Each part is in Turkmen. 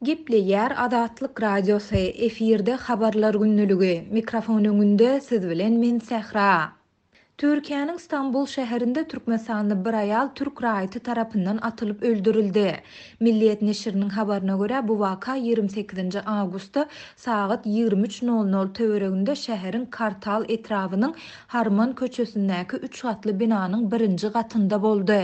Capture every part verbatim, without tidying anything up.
Gepleýär Azatlyk Radiosy, efirde Habarlar gündeligi. Mikrofon öňünde siz bilen men Sähra. Türkiýäniň Stambul şäherinde türkmenistanly bir aýal türk raýaty tarapyndan atylyp öldürildi. Milliýet neşiriniň habaryna görä, bu waka ýigrimi sekizinji awgustda sagat ýigrimi üç nol nol töwereginde şäheriň Kartal etrabynyň Harman köçesindäki üç gatly binanyň birinji gatynda boldy.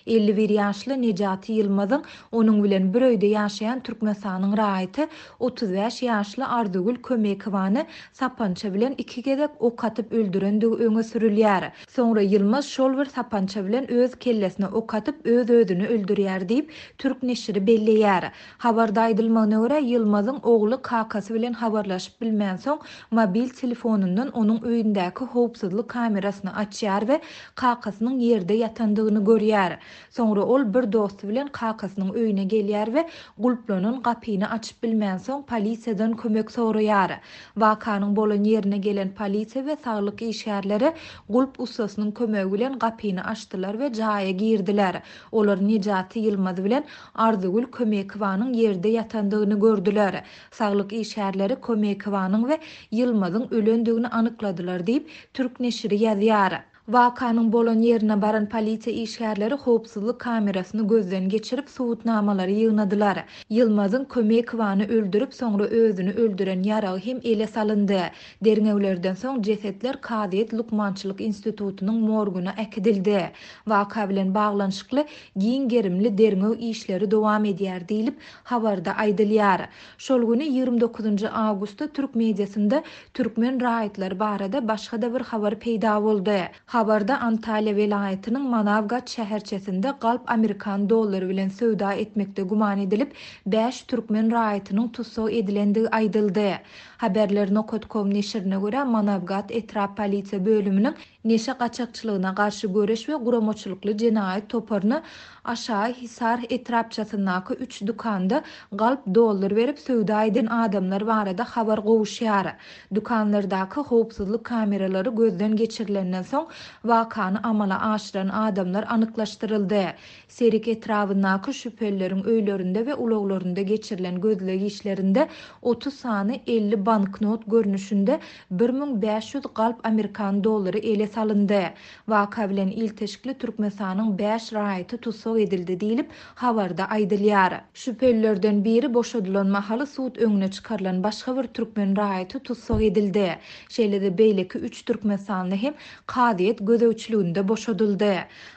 Elli bir ýaşly Nejati Ýylmazyň onuň bilen bir öýde ýaşaýan Türkmenistanyň raýaty otuz bäş ýaşly Arzygül Kömekowany sapança bilen iki gezek ok atyp öldürendigi öňe sürülýär. Soňra Ýylmaz şol bir sapança bilen öz kellesine ok atyp öz-özüni öldürýär diýip, türk neşiri belleýär. Habarda aýdylmagyna görä, Ýylmazyň ogly kakasy bilen habarlaşyp bilmänsoň, mobil telefonundan onuň öýündäki howpsuzlyk kamerasyny açýar we kakasynyň ýerde ýatandygyny görýär. Soňra ol bir dosty bilen kakasynyň öýüne gelýär we gulplanan gapyny açyp bilmänsoň polisiýadan kömek soraýar. Wakanyň bolan ýerine gelen polisiýa we saglyk işgärleri gulp ussasynyň kömegi bilen gapyny açdylar we jaýa girdiler. Olar Nejati Ýylmaz bilen Arzygül Kömekowanyň ýerde ýatandygyny gördüler. Saglyk işgärleri Kömekowanyň we Ýylmazyň ölendigini anykladylar diýip, türk neşiri ýazýar. Wakanyň bolan ýerine baran polisiýa işgärleri howpsuzlyk kamerasyny gözden geçirip subutnamalary ýygnadylar. Ýylmazyň Kömekowany öldürip, soňra özüni öldüren ýaragy hem ele salyndy. Derňewlerden soň jesetler Kazyýet Lukmançylyk institutynyň morguna äkidildi. Waka bilen baglanyşykly giň gerimli derňew işleri dowam edýär diýlip habarda aýdylýar. Şol güni ýigrimi dokuzynjy awgustda türk mediasynda türkmen raýatlary barada başga-da bir habar peýda boldy. Habarda Antalýa welaýatynyň Manawgat şäherçesinde galp amerikan dollary bilen söwda etmekde güman edilip, bäş türkmen raýatynyň tussag edilendigi aýdyldy. Haberler nokta com neşirine görä, Manawgat etrap polisiýa bölüminiň neşe gaçakçylygyna garşy göreş we guramaçylykly jenaýat toparyna Aşağı Hisar etrapçasyndaky üç dükanda galp dollar berip söwda eden adamlar barada habar gowuşýar. Dükanlardaky howpsuzlyk kameralary gözden geçirilenden soň wakany amala aşyran adamlar anyklaşdyryldy. Serik etrabyndaky şübhelileriň öýlerinde we ulaglarynda geçirilen gözleg işlerinde otuz sany elli banknot görnüşinde bir müň bäş ýüz galp amerikan dollary ele salyndy. Waka bilen ilteşikli Türkmenistanyň bäş raýaty tussag edildi diýlip habarda aýdylýar. Şübhelilerden biri boşadylan mahaly sud öňüne çykarylan başga bir türkmen raýaty tussag edildi. Şeýle-de beýleki üç türkmenistanly hem kazyýet gözegçiliginde boşadyldy.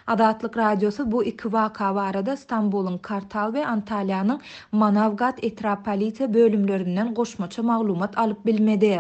Azatlyk Radiosy bu iki waka barada Stambulyň Kartal we Antalýanyň Manawgat etrap polisiýa bölümlerinden goşmaça maglumat alyp bilmedi.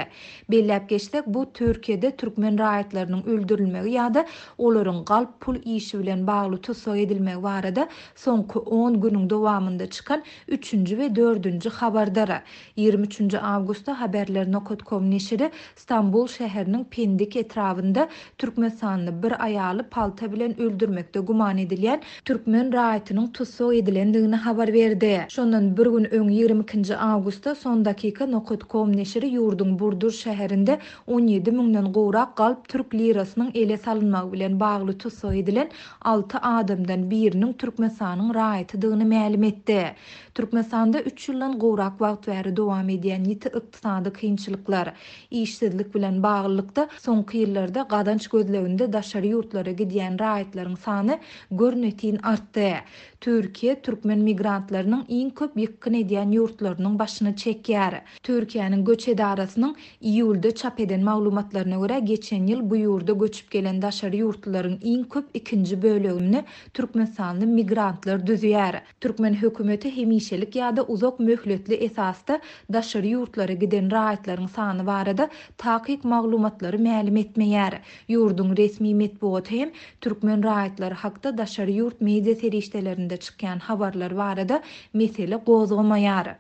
Belläp geçsek, bu Türkiýede türkmen raýatlarynyň öldürilmegi ýa-da olaryň galp pul işi bilen bagly tussag edilmegi barada soňky on günüň dowamynda çykan üçünji we dördünji habardyr. Ýigrimi üçünji awgustda Haberler nokta com neşiri Stambul şäheriniň Pendik etrabynda Türkmenistanly bir aýaly palta bilen öldürmekde güman edilýän türkmen raýatynyň tussag edilendigini habar berdi. Şondan bir gün öň ýigrimi ikinji awgustda Son dakika nokta com neşiri ýurduň Burdur şäherinde on ýedi müňden gowrak galp türk lirasynyň ele salynmagy bilen bagly tussag edilen alty adamdan biriniň Türkmenistanyň raýatydygyny mälim etdi. Türkmenistanda üç ýyldan gowrak wagt bäri dowam edýän ýiti ykdysady kynçylyklar, işsizlik bilen baglylykda soňky ýyllarda gazanç gözleginde daşary ýurtlara gidýän raýatlaryň sany görnetin artdy. Türkiýe türkmen migrantlarynyň iň köp ýykgyn edýän ýurtlarynyň başyny çekýär. Türkiýäniň göç edarasynyň iýulda çap eden maglumatlaryna görä geçen ýyl bu ýurda göçüp gelen daşary ýurtlaryň iň köp ikinji bölegini türkmenistanly migrantlar düzýär. Türkmen hökümeti hemişelik ýa-da uzak möhletli esasda daşary ýurtlara giden raýatlaryň sany barada takyk maglumatlary mälim etmeýär. Ýurduň resmi metbugaty hem türkmen raýatlary hakda daşary ýurt media serişdelerinde çykýan habarlar barada mesele gozgamaýar.